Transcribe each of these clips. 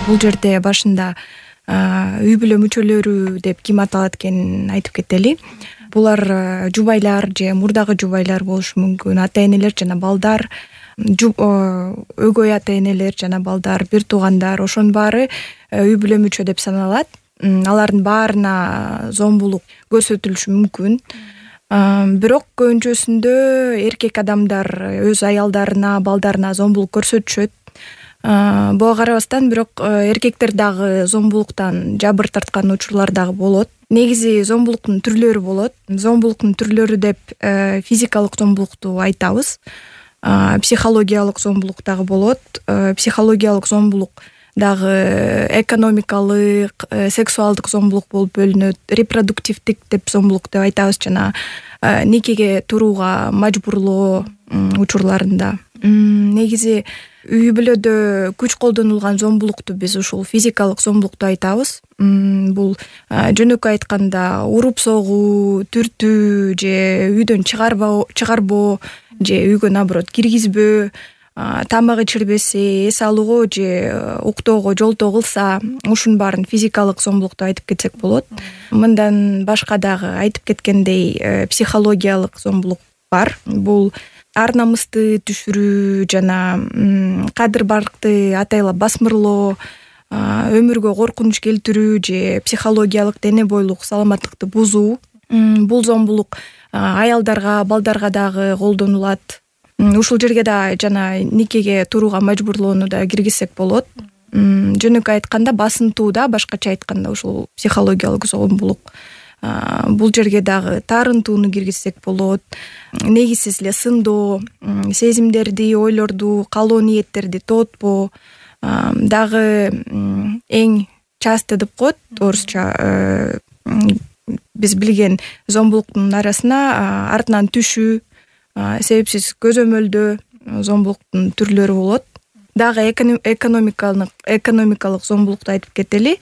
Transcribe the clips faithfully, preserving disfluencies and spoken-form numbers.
Бул жерде башында үй бүлө мүчөлөрү деп ким аталат экенин айтып кетели. Булар жубайлар же мурдагы жубайлар болушу мүмкүн, ата-энелер жана балдар, өгөй ата-энелер жана балдар, бир туугандар, ошонун баары үй бүлө мүчө деп саналат. Алардын баарына зомбулук көрсөтүлүшү мүмкүн. Бирок көбүнчөсүндө эркек адамдар өз аялдарына, балдарына зомбулук көрсөтүшөт. Буга карабастан бирок эркектер дагы зомбулуктан жабыр тарткан учурлар дагы болот. Негизи зомбулуктун түрлөрү болот. Зомбулуктун түрлөрү деп физикалык зомбулукту айтабыз. Психологиялык зомбулук дагы болот. Психологиялык зомбулук дагы экономикалык, сексуалдык зомбулук болуп бөлүнөт. Репродуктивдик деп зомбулук деп айтабыз, жана никеге турууга мажбурлоо учурларында. Негизи үй бүлөдө күч колдонулган зомбулукту биз ушул физикалык зомбулукту айтабыз. Бул жөнөкөй айтканда уруп согуу, түртүү же үйдөн чыгарбоо, чыгарбоо же үйгө наоборот киргизбөө, тамак ичирбесе, эс алууга же уктоого жолтоо кылса, ушунун баарын физикалык зомбулук деп айтып кетсек болот. Мындан башка дагы айтып кеткендей психологиялык зомбулук бар. Бул ар намысты түшүрүү жана кадыр баркты атайлап басмырлоо, өмүргө коркунуч келтирүү же психологиялык дене бойлук саламаттыкты бузуу. Бул зомбулук аялдарга, балдарга дагы колдонулат. Ушул жерге да жана никеге турууга мажбурлоону да киргизсек болот. Жөнөкөй айтканда басынтуу да, башкача айтканда ушул психологиялык зомбулук. Бул жерге дагы таарынтууну киргизсек болот. Негизсиз эле сындоо, сезимдерди, ойлорду, каалоо ниеттерди тоотпоо дагы эң часто деп коет орусча. Биз билген зомбулуктун арасына артынан түшүү, себепсиз көзөмөлдөө зомбулуктун түрлөрү болот. Дагы экономикалык экономикалык зомбулукту айтып кетели.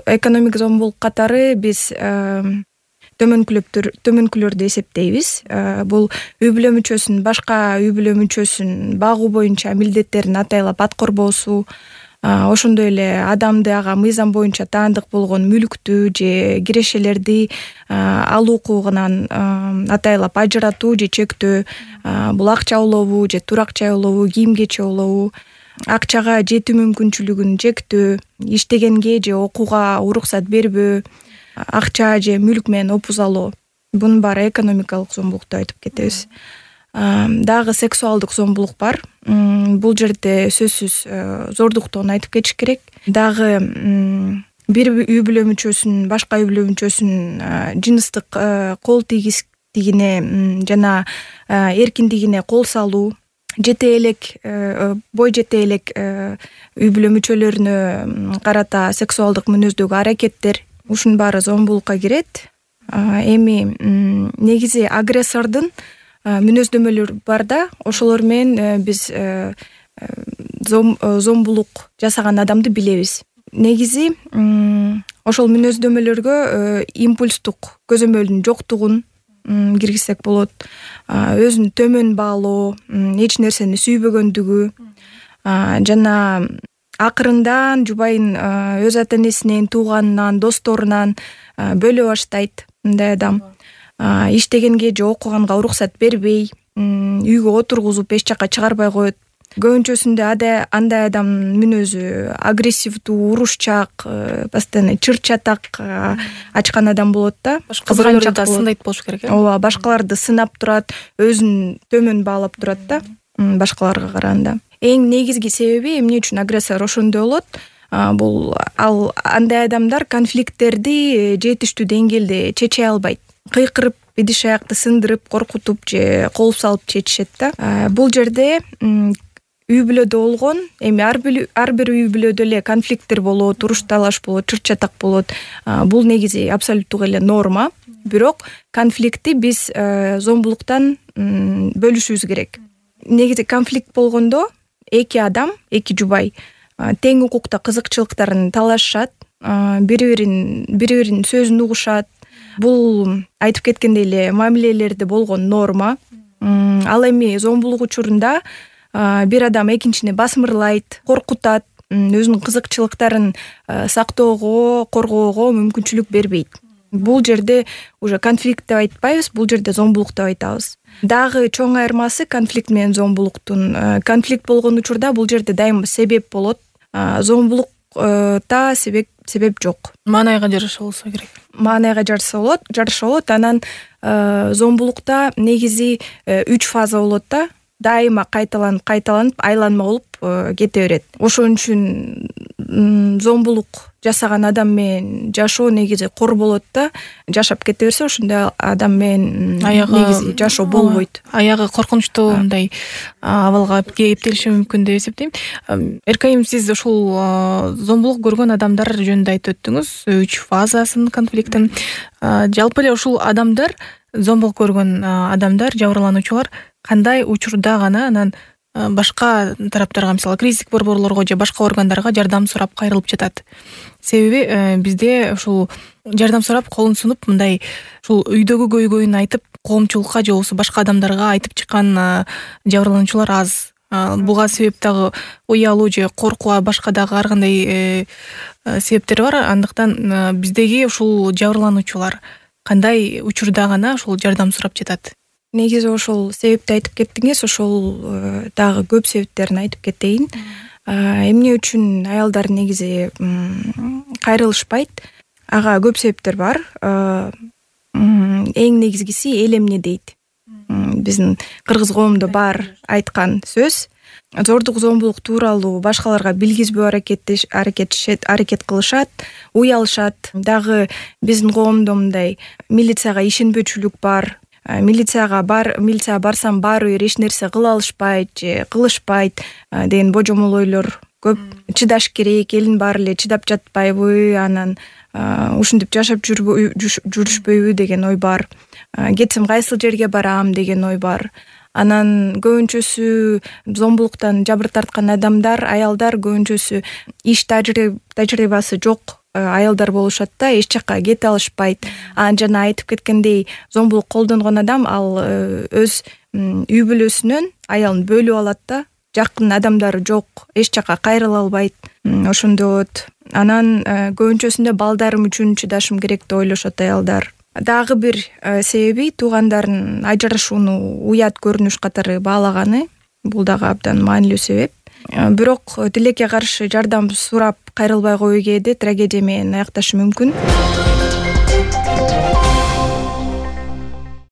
Экономик зомбулук катары биз төмөнкүлөптөр төмөнкүлөрдү эсептейбиз. Бул үй бүлө мүчөсүн башка үй бүлө мүчөсүн багуу боюнча милдеттерин атайлап аткарбоосу, ошондой эле адамды ага мыйзам боюнча таандык болгон мүлктү же кирешелерди алуу укугунан атайлап ажыратуу же чектөө. Бул акча улову же турак-жай улову, кийим кече улову, акчага жетүү мүмкүнчүлүгүн чектөө, иштегенге же окууга уруксат бербөө, акча же мүлк менен опуз алуу. Бунун баары экономикалык зомбулук деп айтып кетебиз. Дагы сексуалдык зомбулук бар. Бул жерде сөзсүз зордуктоон айтып кетиш керек. Дагы бир үй бүлө мүчөсүн башка үй бүлө мүчөсүнүн жыныстык кол тийгистигине жана эркиндигине кол салуу, жете элек, бой жете элек үй бүлө мүчөлөрүнө карата сексуалдык мүнөздөгү аракеттер, ушунун баары зомбулукка кирет. Эми негизи агрессордун мүнөздөмөлөрү бар да, ошолор менен биз зомбулук жасаган адамды билебиз. Негизи ошол мүнөздөмөлөргө импульстук көзөмөлдүн жоктугун киргизсек болот. Өзүн төмөн баалоо, эч нерсени сүйбөгөндүгү жана акырындан жубайын өз ата-энесинен, тууганынан, досторунан бөлө баштайт. Мындай адам иштегенге же окуганга уруксат бербей, үйгө отургузуп эч жака чыгарбай коет. Көбүнчөсүндө андай адамдын мүнөзү агрессивдүү, урушчак, постоянно чыр-чатак ачкан адам болот да. Башкаларды да сындайт болуш керек. Ооба, башкаларды сынап турат, өзүн төмөн баалап турат да, башкаларга караганда. Эң негизги себеби эмне үчүн агрессор ошондой болот? Бул ал андай адамдар конфликттерди жетиштүү деңгээлде чече албайт. Кыйкырып, идиш аякты сындырып, коркутуп же колуп салып чечишет да. Бул жерде үй бүлөдө болгон, эми ар бир үй бүлөдө эле конфликттер болот, уруш талаш болот, чыр-чатак болот. Бул негизи абсолюттук эле норма. Бирок конфликтти биз зомбулуктан бөлүшүбүз керек. Негизи конфликт болгондо эки адам, эки жубай тең укукта кызыкчылыктарын талашышат, бири-бирин бири-биринин сөзүн угушат. Бул айтып кеткендей эле мамилелерде болгон норма. Ал эми зомбулук учурунда бир адам экинчини басмырлайт, коркутат, өзүнүн кызыкчылыктарын сактоого, коргоого мүмкүнчүлүк бербейт. Бул жерде уже конфликт деп айтпайбыз, бул жерде зомбулук деп айтабыз. Дагы чоң айырмасы конфликт менен зомбулуктун. Конфликт болгон учурда бул жерде дайыма себеп болот. Зомбулукта себеп себеп жок. Маанайга жараша болсо керек. Маанайга жараша болот, жараша болот. Анан зомбулукта негизи үч фаза болот да. Дайыма кайталанып, кайталанып, айланма болуп кете берет. Ошон үчүн зомбулук жасаган адам менен жашоо негизи кор болот да. Жашап кете берсе, ошондой адам менен негизи жашоо болбойт. Аягы коркунучтуу мындай абалга кептелиши мүмкүн деп эсептейм. Эркайым, сиз ушул зомбулук көргөн адамдар жөнүндө айтып өттүңүз, үч фазасын конфликттин. Жалпы эле ушул адамдар, зомбулук көргөн адамдар, жабырлануучулар кандай учурда гана анан башка тараптарга, мисалы кризистик борборлорго же башка органдарга жардам сурап кайрылып жатат? Себеби бизде ушул жардам сурап колун сунуп, мындай ушул үйдөгү көйгөйүн айтып, коомчулукка же болбосо башка адамдарга айтып чыккан жабырлануучулар аз. Буга себеп дагы уялуу же коркуу, башка дагы ар кандай себептер бар. Андыктан биздеги ушул жабырлануучулар кандай учурда гана ушул жардам сурап жатат? Негизи ошол себепти айтып кеттиңиз, ошол дагы көп себептерин айтып кетейин. Эмне үчүн аялдар негизи кайрылышпайт? Ага көп себептер бар. Эң негизгиси эл эмне дейт. Биздин кыргыз коомдо бар айткан сөз. Зордук, зомбулук тууралуу башкаларга билгизбөө аракет аракет кылышат, уялышат. Дагы биздин коомдо мындай милицияга ишенбөөчүлүк бар. Милицияга бар, милицияга барсам баары бир эч нерсе кыла алышпайт же кылышпайт деген божомол ойлор көп. Чыдаш керек, элин баары эле чыдап жатпайбы, анан ушинтип жашап жүрүшпөйбү деген ой бар. Кетсем кайсыл жерге барам деген ой бар. Анан көбүнчөсү зомбулуктан жабыр тарткан адамдар, аялдар көбүнчөсү иш тажрыйбасы жок аялдар болушат да, эч жакка кете алышпайт. Анан жана айтып кеткендей, зомбулук колдонгон адам ал өз үй бүлөсүнөн аялын бөлүп алат да, жакын адамдары жок, эч жакка кайрыла албайт. Ошондой болот. Анан көбүнчөсүндө балдарым үчүн чыдашым керек деп ойлошот аялдар. Дагы бир себеби туугандарын ажырашууну уят көрүнүш катары баалаганы. Бул дагы абдан маанилүү себеп. Бирок тилекке каршы жардам сурап кайрылбай койуу кээде трагедия менен аякташы мүмкүн.